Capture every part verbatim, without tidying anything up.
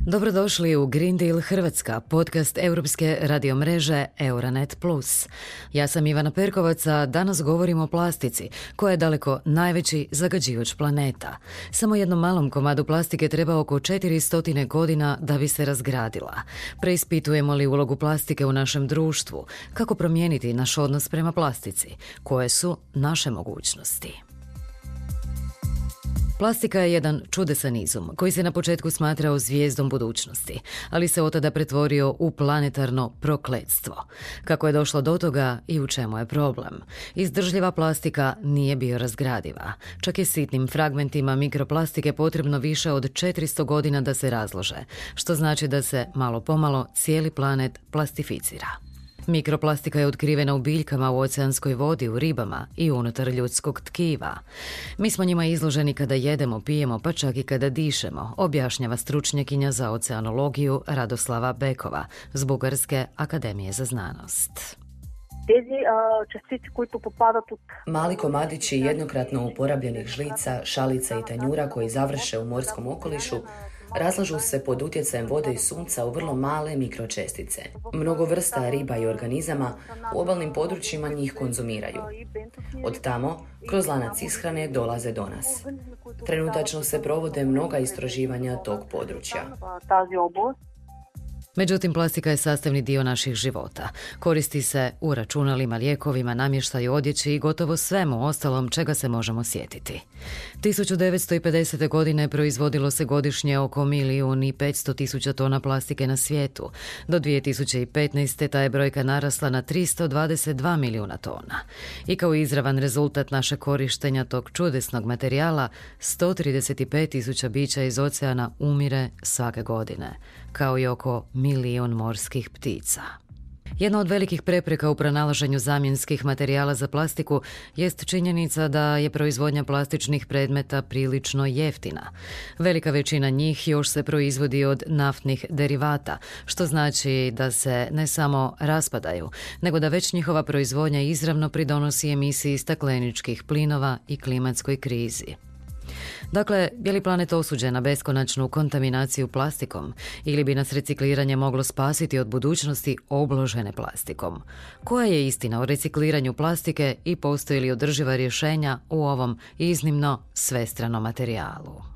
Dobrodošli u Green Deal Hrvatska, podcast europske radiomreže Euronet plus. Ja sam Ivana Perkovac, a danas govorimo o plastici, koja je daleko najveći zagađivač planeta. Samo jednom malom komadu plastike treba oko četiristo godina da bi se razgradila. Preispitujemo li ulogu plastike u našem društvu? Kako promijeniti naš odnos prema plastici? Koje su naše mogućnosti? Plastika je jedan čudesan izum koji se na početku smatrao zvijezdom budućnosti, ali se od tada pretvorio u planetarno prokletstvo. Kako je došlo do toga i u čemu je problem? Izdržljiva plastika nije biorazgradiva. Čak je sitnim fragmentima mikroplastike potrebno više od četiristo godina da se razlože, što znači da se malo pomalo cijeli planet plastificira. Mikroplastika je otkrivena u biljkama, u oceanskoj vodi, u ribama i unutar ljudskog tkiva. Mi smo njima izloženi kada jedemo, pijemo, pa čak i kada dišemo, objašnjava stručnjakinja za oceanologiju Radoslava Bekova s Bugarske akademije za znanost. Mali komadići jednokratno uporabljenih žlica, šalica i tanjura koji završe u morskom okolišu razlažu se pod utjecajem vode i sunca u vrlo male mikročestice. Mnogo vrsta riba i organizama u obalnim područjima njih konzumiraju. Od tamo, kroz lanac ishrane dolaze do nas. Trenutačno se provode mnoga istraživanja tog područja. Međutim, plastika je sastavni dio naših života. Koristi se u računalima, lijekovima, namještaju, odjeći i gotovo svemu ostalom čega se možemo sjetiti. tisuću devetsto pedesete. godine proizvodilo se godišnje oko milijun i petsto tisuća tona plastike na svijetu. Do dvije tisuće petnaeste. ta je brojka narasla na tristo dvadeset dva milijuna tona. I kao izravan rezultat našeg korištenja tog čudesnog materijala, sto trideset pet tisuća bića iz oceana umire svake godine, kao i oko milijun morskih ptica. Jedna od velikih prepreka u pronalaženju zamjenskih materijala za plastiku jest činjenica da je proizvodnja plastičnih predmeta prilično jeftina. Velika većina njih još se proizvodi od naftnih derivata, što znači da se ne samo raspadaju, nego da već njihova proizvodnja izravno pridonosi emisiji stakleničkih plinova i klimatskoj krizi. Dakle, je li planet osuđen na beskonačnu kontaminaciju plastikom ili bi nas recikliranje moglo spasiti od budućnosti obložene plastikom? Koja je istina o recikliranju plastike i postoji li održiva rješenja u ovom iznimno svestranom materijalu?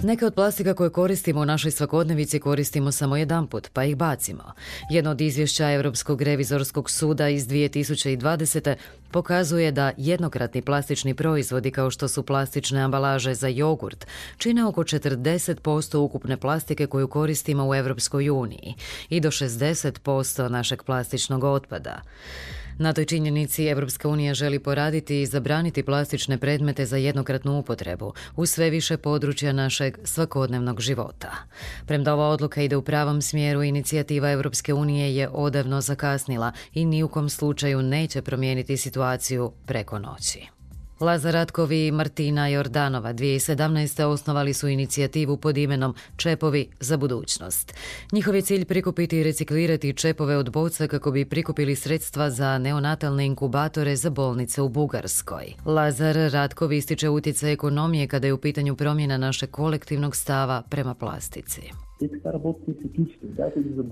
Neke od plastika koje koristimo u našoj svakodnevici koristimo samo jedanput, pa ih bacimo. Jedno od izvješća Europskog revizorskog suda iz dvije tisuće dvadesete. pokazuje da jednokratni plastični proizvodi kao što su plastične ambalaže za jogurt čine oko četrdeset posto ukupne plastike koju koristimo u Europskoj uniji i do šezdeset posto našeg plastičnog otpada. Na toj činjenici Europska unija želi poraditi i zabraniti plastične predmete za jednokratnu upotrebu u sve više područja našeg svakodnevnog života. Premda ova odluka ide u pravom smjeru, inicijativa Europske unije je odavno zakasnila i ni u kom slučaju neće promijeniti situaciju preko noći. Lazar Ratkov i Martina Jordanova dvije tisuće sedamnaeste. osnovali su inicijativu pod imenom Čepovi za budućnost. Njihov je cilj prikupiti i reciklirati čepove od boca kako bi prikupili sredstva za neonatalne inkubatore za bolnice u Bugarskoj. Lazar Ratkov ističe utjecaj ekonomije kada je u pitanju promjena našeg kolektivnog stava prema plastici.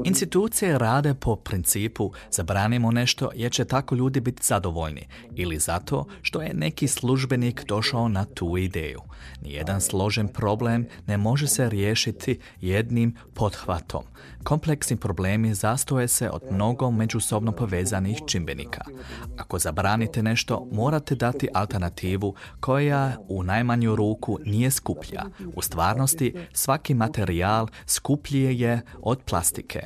Institucije rade po principu zabranimo nešto jer će tako ljudi biti zadovoljni ili zato što je neki službenik došao na tu ideju. Nijedan složen problem ne može se riješiti jednim pothvatom. Kompleksni problemi zastoje se od mnogo međusobno povezanih čimbenika. Ako zabranite nešto, morate dati alternativu koja u najmanju ruku nije skuplja. U stvarnosti svaki materijal skuplji je od plastike.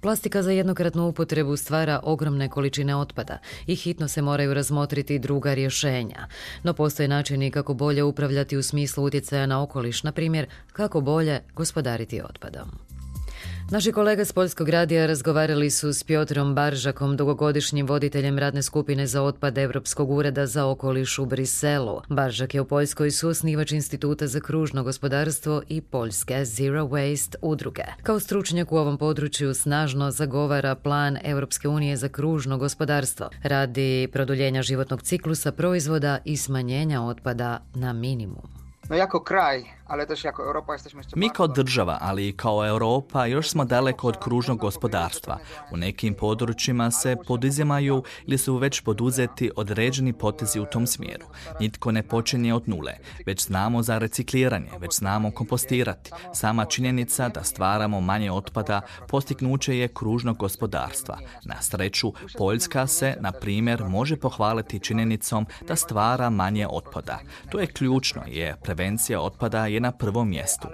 Plastika za jednokratnu upotrebu stvara ogromne količine otpada i hitno se moraju razmotriti druga rješenja. No postoje načini kako bolje upravljati u smislu utjecaja na okoliš, na primjer kako bolje gospodariti otpadom. Naši kolega s Poljskog radija razgovarali su s Piotrom Baržakom, dugogodišnjim voditeljem radne skupine za otpad Europskog ureda za okoliš u Briselu. Baržak je u Poljskoj suosnivač Instituta za kružno gospodarstvo i Poljske Zero Waste udruge. Kao stručnjak u ovom području snažno zagovara plan Europske unije za kružno gospodarstvo radi produljenja životnog ciklusa proizvoda i smanjenja otpada na minimum. No jako kraj Mi kao država, ali i kao Europa, još smo daleko od kružnog gospodarstva. U nekim područjima se poduzimaju ili su već poduzeti određeni potezi u tom smjeru. Nitko ne počinje od nule, već znamo za recikliranje, već znamo kompostirati. Sama činjenica da stvaramo manje otpada postignuće je kružnog gospodarstva. Na sreću, Poljska se, na primjer, može pohvaliti činjenicom da stvara manje otpada. To je ključno, jer prevencija otpada je na prvom mjestu.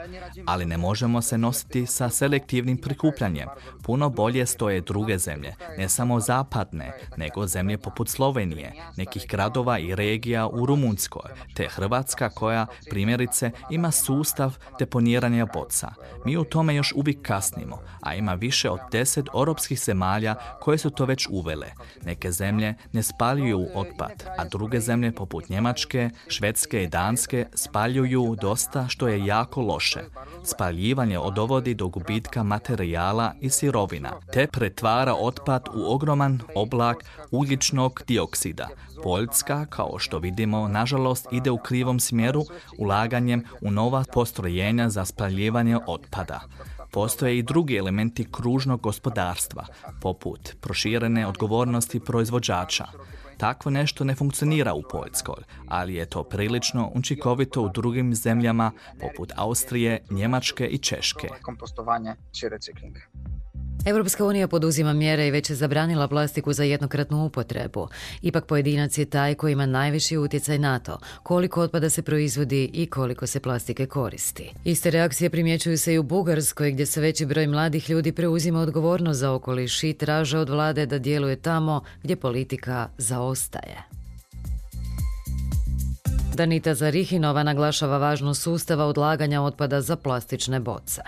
Ali ne možemo se nositi sa selektivnim prikupljanjem. Puno bolje stoje druge zemlje, ne samo zapadne, nego zemlje poput Slovenije, nekih gradova i regija u Rumunjskoj, te Hrvatska koja, primjerice, ima sustav deponiranja boca. Mi u tome još uvijek kasnimo, a ima više od deset europskih zemalja koje su to već uvele. Neke zemlje ne spaljuju otpad, a druge zemlje poput Njemačke, Švedske i Danske spaljuju dosta, što je jako loše. Spaljivanje dovodi do gubitka materijala i sirovina, te pretvara otpad u ogroman oblak ugljičnog dioksida. Poljska, kao što vidimo, nažalost ide u krivom smjeru ulaganjem u nova postrojenja za spaljivanje otpada. Postoje i drugi elementi kružnog gospodarstva, poput proširene odgovornosti proizvođača. Takvo nešto ne funkcionira u Poljskoj, ali je to prilično učinkovito u drugim zemljama poput Austrije, Njemačke i Češke. Europska unija poduzima mjere i već je zabranila plastiku za jednokratnu upotrebu. Ipak pojedinac je taj koji ima najviši utjecaj na to koliko otpada se proizvodi i koliko se plastike koristi. Iste reakcije primjećuju se i u Bugarskoj, gdje se veći broj mladih ljudi preuzima odgovornost za okoliš i traže od vlade da djeluje tamo gdje politika zaostaje. Danita Zarihinova naglašava važnost sustava odlaganja otpada za plastične boce.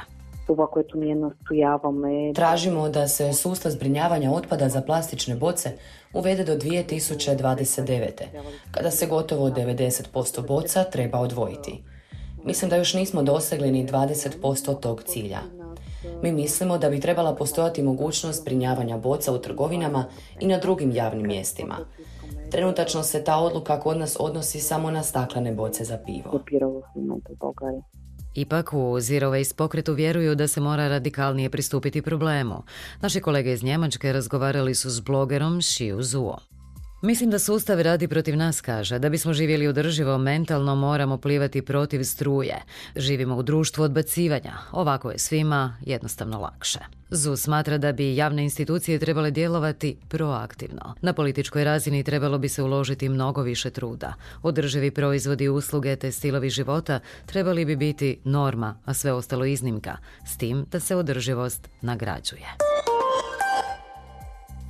Tražimo da se sustav zbrinjavanja otpada za plastične boce uvede do dvije tisuće dvadeset devete. kada se gotovo devedeset posto boca treba odvojiti. Mislim da još nismo dosegli ni dvadeset posto tog cilja. Mi mislimo da bi trebala postojati mogućnost zbrinjavanja boca u trgovinama i na drugim javnim mjestima. Trenutačno se ta odluka kod nas odnosi samo na staklene boce za pivo. Ipak u Zero Waste pokretu vjeruju da se mora radikalnije pristupiti problemu. Naši kolege iz Njemačke razgovarali su s blogerom Shiu Zuo. Mislim da sustav radi protiv nas, kaže. Da bismo živjeli održivo, mentalno moramo plivati protiv struje. Živimo u društvu odbacivanja. Ovako je svima jednostavno lakše. Zu smatra da bi javne institucije trebale djelovati proaktivno. Na političkoj razini trebalo bi se uložiti mnogo više truda. Održivi proizvodi, usluge te stilovi života trebali bi biti norma, a sve ostalo iznimka, s tim da se održivost nagrađuje.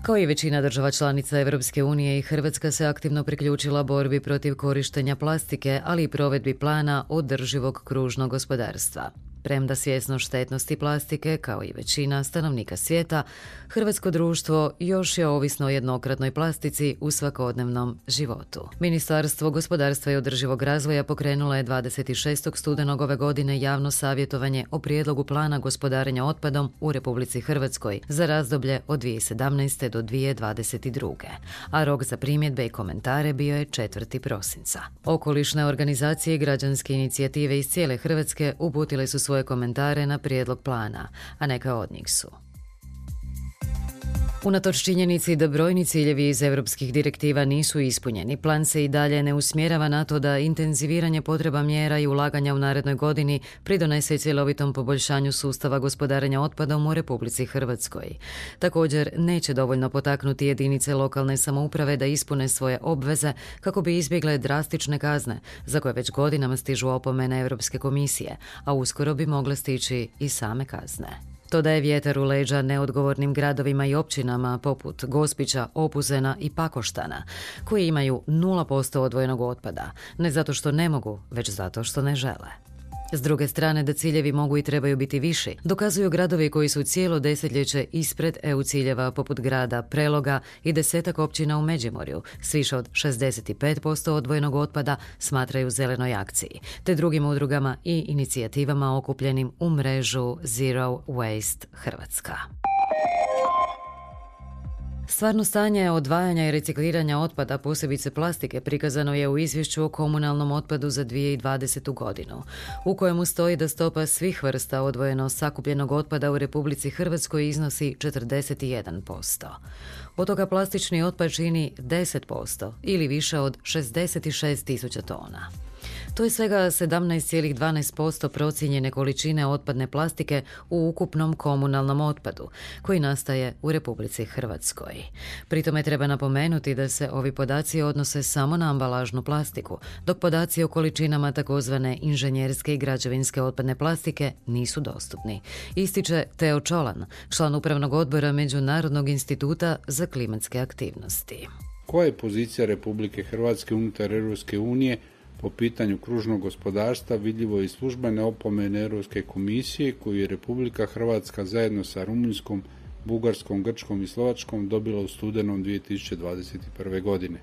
Kao i većina država članica Europske unije, i Hrvatska se aktivno priključila borbi protiv korištenja plastike, ali i provedbi plana održivog kružnog gospodarstva. Premda svjesno štetnosti plastike, kao i većina stanovnika svijeta, hrvatsko društvo još je ovisno o jednokratnoj plastici u svakodnevnom životu. Ministarstvo gospodarstva i održivog razvoja pokrenulo je dvadeset šestog studenog ove godine javno savjetovanje o prijedlogu plana gospodarenja otpadom u Republici Hrvatskoj za razdoblje od dvije tisuće sedamnaeste do dvije tisuće dvadeset druge. a rok za primjedbe i komentare bio je četvrtog prosinca. Okolišne organizacije i građanske inicijative iz cijele Hrvatske uputile su svoje komentare na prijedlog plana, a neka od njih su: unatoč činjenici da brojni ciljevi iz europskih direktiva nisu ispunjeni, plan se i dalje ne usmjerava na to da intenziviranje potreba mjera i ulaganja u narednoj godini pridonese cjelovitom poboljšanju sustava gospodarenja otpadom u Republici Hrvatskoj. Također, neće dovoljno potaknuti jedinice lokalne samouprave da ispune svoje obveze kako bi izbjegle drastične kazne, za koje već godinama stižu opomene Europske komisije, a uskoro bi mogle stići i same kazne. To daje vjetar u leđa neodgovornim gradovima i općinama poput Gospića, Opuzena i Pakoštana, koji imaju nula posto odvojenog otpada, ne zato što ne mogu, već zato što ne žele. S druge strane, da ciljevi mogu i trebaju biti viši, dokazuju gradovi koji su cijelo desetljeće ispred E U ciljeva poput grada Preloga i desetak općina u Međimurju s više od šezdeset pet posto odvojenog otpada smatraju zelenoj akciji, te drugim udrugama i inicijativama okupljenim u mrežu Zero Waste Hrvatska. Stvarno stanje odvajanja i recikliranja otpada, posebice plastike, prikazano je u izvješću o komunalnom otpadu za dvije tisuće dvadesete. godinu, u kojemu stoji da stopa svih vrsta odvojeno sakupljenog otpada u Republici Hrvatskoj iznosi četrdeset jedan posto. Od toga plastični otpad čini deset posto ili više od šezdeset šest tisuća tona. To je svega sedamnaest zarez dvanaest posto procijenjene količine otpadne plastike u ukupnom komunalnom otpadu, koji nastaje u Republici Hrvatskoj. Pri tome treba napomenuti da se ovi podaci odnose samo na ambalažnu plastiku, dok podaci o količinama takozvane inženjerske i građevinske otpadne plastike nisu dostupni, ističe Teo Čolan, član upravnog odbora Međunarodnog instituta za klimatske aktivnosti. Koja je pozicija Republike Hrvatske unutar Europske unije po pitanju kružnog gospodarstva vidljivo iz službene opomene Europske komisije koju je Republika Hrvatska zajedno sa Rumunjskom, Bugarskom, Grčkom i Slovačkom dobila u studenom dvije tisuće dvadeset prve. godine.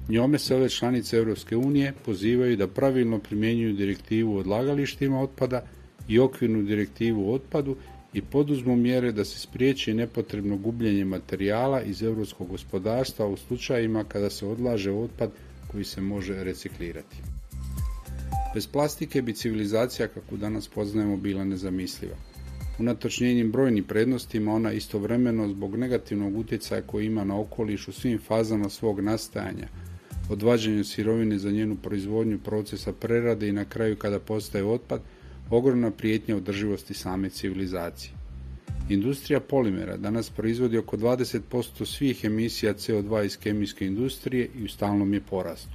Njome se ove članice Europske unije pozivaju da pravilno primjenjuju direktivu o odlagalištima otpada i okvirnu direktivu o otpadu i poduzmu mjere da se spriječi nepotrebno gubljenje materijala iz europskog gospodarstva u slučajevima kada se odlaže otpad koji se može reciklirati. Bez plastike bi civilizacija kakvu danas poznajemo bila nezamisliva. Unatoč njenim brojnim prednostima ona istovremeno zbog negativnog utjecaja koji ima na okoliš u svim fazama svog nastajanja, od vađenja sirovine za njenu proizvodnju, procesa prerade i na kraju kada postaje otpad, ogromna prijetnja održivosti same civilizacije. Industrija polimera danas proizvodi oko dvadeset posto svih emisija C O dva iz kemijske industrije i u stalnom je porastu.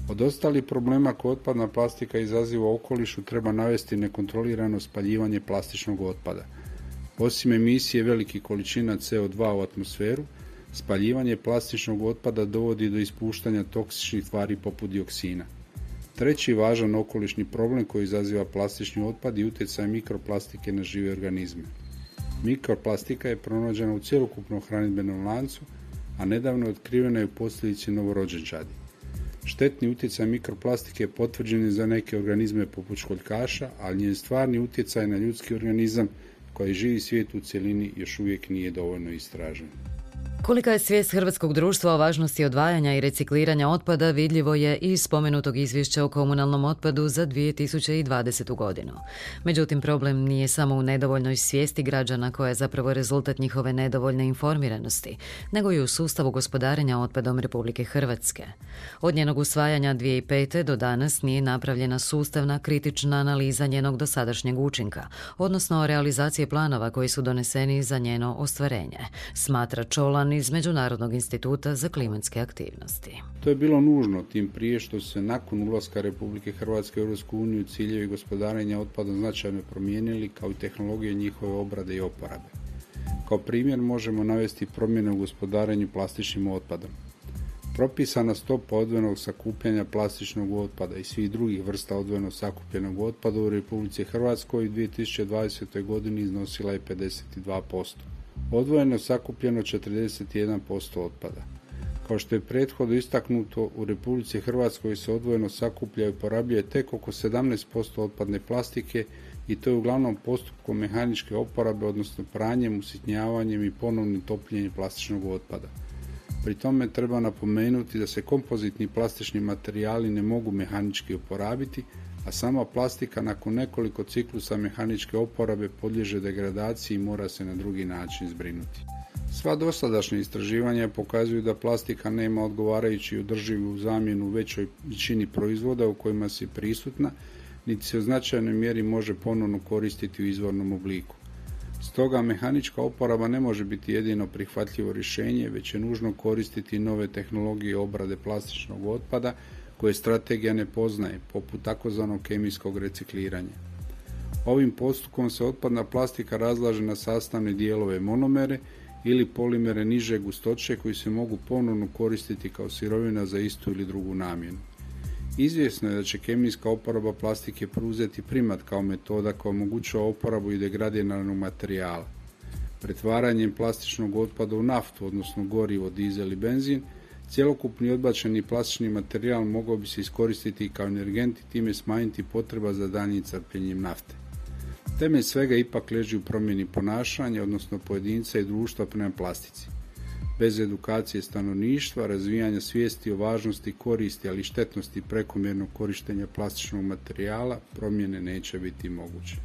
Od ostalih problema koje otpadna plastika izaziva u okolišu treba navesti nekontrolirano spaljivanje plastičnog otpada. Osim emisije velikih količina C O dva u atmosferu, spaljivanje plastičnog otpada dovodi do ispuštanja toksičnih tvari poput dioksina. Treći važan okolišni problem koji izaziva plastični otpad je utjecaj mikroplastike na žive organizme. Mikroplastika je pronađena u cjelokupnom hranidbenom lancu, a nedavno je otkrivena i u posljedici novorođenčadi. Štetni utjecaj mikroplastike potvrđen je za neke organizme poput školjkaša, ali njen stvarni utjecaj na ljudski organizam koji živi svijet u cjelini još uvijek nije dovoljno istražen. Kolika je svijest hrvatskog društva o važnosti odvajanja i recikliranja otpada vidljivo je iz spomenutog izvješća o komunalnom otpadu za dvije tisuće dvadesetu. godinu. Međutim, problem nije samo u nedovoljnoj svijesti građana koja je zapravo rezultat njihove nedovoljne informiranosti, nego i u sustavu gospodarenja otpadom Republike Hrvatske. Od njenog usvajanja dvije tisuće pete. do danas nije napravljena sustavna kritična analiza njenog dosadašnjeg učinka, odnosno realizacije planova koji su doneseni za njeno ostvarenje, smatra Čolan iz Međunarodnog instituta za klimatske aktivnosti. To je bilo nužno, tim prije što se nakon ulaska Republike Hrvatske u Europsku uniju ciljevi gospodarenja otpadom značajno promijenili, kao i tehnologije njihove obrade i oporabe. Kao primjer možemo navesti promjene u gospodarenju plastičnim otpadom. Propisana stopa odvojenog sakupljanja plastičnog otpada i svih drugih vrsta odvojeno sakupljenog otpada u Republici Hrvatskoj u dvije tisuće dvadesetoj. godini iznosila je pedeset dva posto. Odvojeno sakupljeno četrdeset jedan posto otpada. Kao što je prethodno istaknuto, u Republici Hrvatskoj se odvojeno sakuplja i uporabljuje tek oko sedamnaest posto otpadne plastike i to je uglavnom postupkom mehaničke oporabe, odnosno pranjem, usitnjavanjem i ponovnim topljenjem plastičnog otpada. Pri tome treba napomenuti da se kompozitni plastični materijali ne mogu mehanički oporabiti, a sama plastika nakon nekoliko ciklusa mehaničke oporabe podliježe degradaciji i mora se na drugi način zbrinuti. Sva dosadašnja istraživanja pokazuju da plastika nema odgovarajući održivu zamjenu u većoj većini proizvoda u kojima se prisutna, niti se u značajnoj mjeri može ponovno koristiti u izvornom obliku. Stoga mehanička oporaba ne može biti jedino prihvatljivo rješenje, već je nužno koristiti nove tehnologije obrade plastičnog otpada koje strategija ne poznaje, poput takozvanog kemijskog recikliranja. Ovim postupkom se otpadna plastika razlaže na sastavne dijelove monomere ili polimere niže gustoće koji se mogu ponovno koristiti kao sirovina za istu ili drugu namjenu. Izvjesno je da će kemijska oporaba plastike preuzeti primat kao metoda koja omogućava oporabu i degradiranog materijala. Pretvaranjem plastičnog otpada u naftu, odnosno gorivo, dizel i benzin, cjelokupni odbačeni plastični materijal mogao bi se iskoristiti kao energent i time smanjiti potreba za daljnjim crpljenjem nafte. Temelj svega ipak leži u promjeni ponašanja, odnosno pojedinca i društva prema plastici. Bez edukacije stanovništva, razvijanja svijesti o važnosti koristi, ali i štetnosti prekomjernog korištenja plastičnog materijala, promjene neće biti moguće.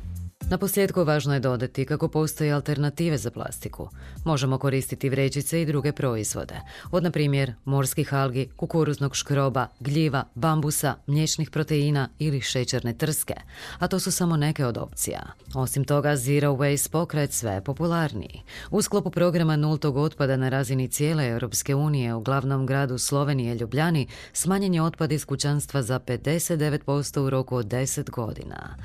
Na posljedku važno je dodati kako postoje alternative za plastiku. Možemo koristiti vrećice i druge proizvode, od na primjer morskih algi, kukuruznog škroba, gljiva, bambusa, mliječnih proteina ili šećerne trske, a to su samo neke od opcija. Osim toga, Zero Waste pokret sve je popularniji. U sklopu programa nultog otpada na razini cijele Europske unije u glavnom gradu Slovenije Ljubljani smanjen je otpad iz kućanstva za pedeset devet posto u roku od deset godina.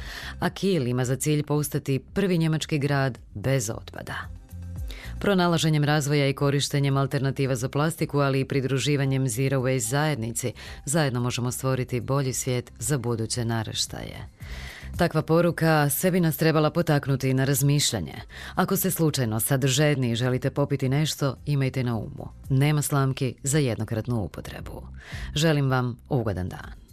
A Kiel ima za cilj postati prvi njemački grad bez otpada. Pronalaženjem razvoja i korištenjem alternativa za plastiku, ali i pridruživanjem Zero Waste zajednici, zajedno možemo stvoriti bolji svijet za buduće naraštaje. Takva poruka sve bi nas trebala potaknuti na razmišljanje. Ako ste slučajno sadržajni i želite popiti nešto, imajte na umu. Nema slamki za jednokratnu upotrebu. Želim vam ugodan dan.